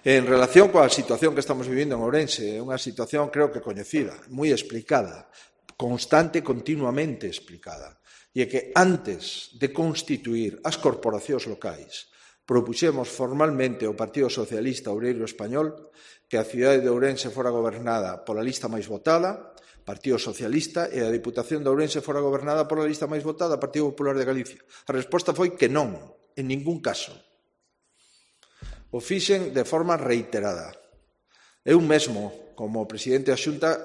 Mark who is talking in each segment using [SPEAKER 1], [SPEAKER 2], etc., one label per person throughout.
[SPEAKER 1] En relación coa situación que estamos vivindo en Ourense, é unha situación creo que coñecida, moi explicada, constante e continuamente explicada. E é que antes de constituir as corporacións locais, propuxemos formalmente ao Partido Socialista Obreiro Español que a cidade de Ourense fora gobernada pola lista máis votada, Partido Socialista, e a Diputación de Ourense fora gobernada pola lista máis votada, Partido Popular de Galicia. A resposta foi que non, en ningún caso. O fixen de forma reiterada. Eu mesmo, como presidente da Xunta,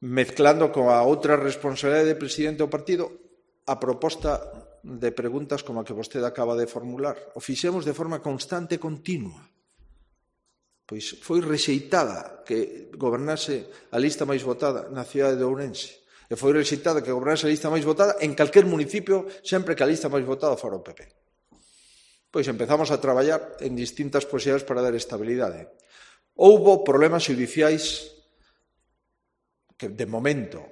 [SPEAKER 1] mezclando coa outra responsabilidade de presidente do partido, a proposta de preguntas como a que vostede acaba de formular. O fixemos de forma constante e continua. Pois foi rexeitada que gobernase a lista máis votada na cidade de Ourense. E foi rexeitada que gobernase a lista máis votada en calquer municipio, sempre que a lista máis votada fora o PP. Pois empezamos a traballar en distintas posibilidades para dar estabilidade. Houbo problemas xudiciais que, de momento,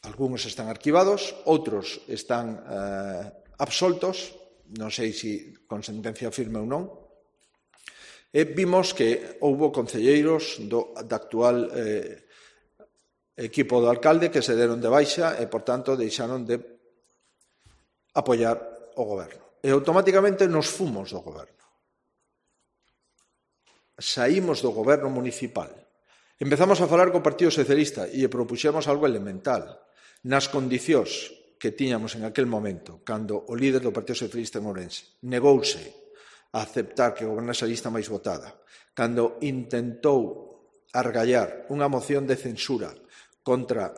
[SPEAKER 1] algúns están arquivados, outros están absoltos, non sei se con sentencia firme ou non, e vimos que houbo concelleiros do actual equipo do alcalde que se deron de baixa e, por tanto, deixaron de apoiar o goberno. E automáticamente nos fomos do goberno. Saímos do goberno municipal. Empezamos a falar co Partido Socialista e propuxemos algo elemental. Nas condicións que tiñamos en aquel momento, cando o líder do Partido Socialista en Ourense negouse a aceptar que gobernase a lista máis votada, cando intentou argallar unha moción de censura contra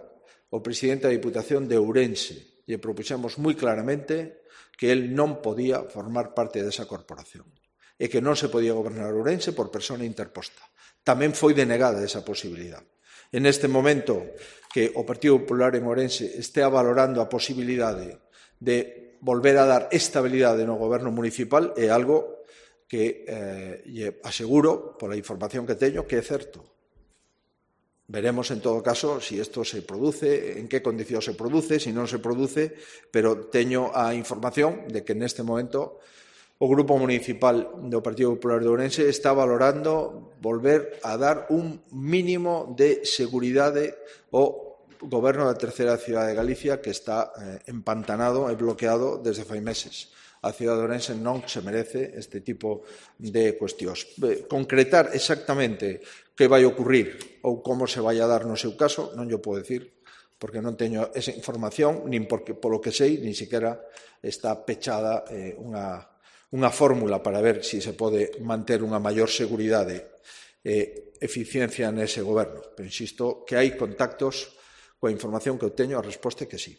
[SPEAKER 1] o presidente da Diputación de Ourense e propuxemos moi claramente que el non podía formar parte desa corporación e que non se podía gobernar Ourense por persona interposta. Tamén foi denegada esa posibilidade. En este momento que o Partido Popular en Ourense estea valorando a posibilidade de volver a dar estabilidade no goberno municipal é algo que lle aseguro, pola información que teño, que é certo. Veremos, en todo caso, se isto se produce, en que condicións se produce, se non se produce, pero teño a información de que neste momento o Grupo Municipal do Partido Popular de Ourense está valorando volver a dar un mínimo de seguridade ao goberno da terceira cidade de Galicia que está empantanado e bloqueado desde fai meses. A cidade de Ourense non se merece este tipo de cuestións. Concretar exactamente que vai ocurrir ou como se vai a dar no seu caso, non yo podo decir, porque non teño esa información, nin porque, polo que sei, nin sequera está pechada unha fórmula para ver se se pode manter unha maior seguridade e eficiencia nese goberno. Pero insisto que hai contactos coa información que eu teño, a resposta é que sí.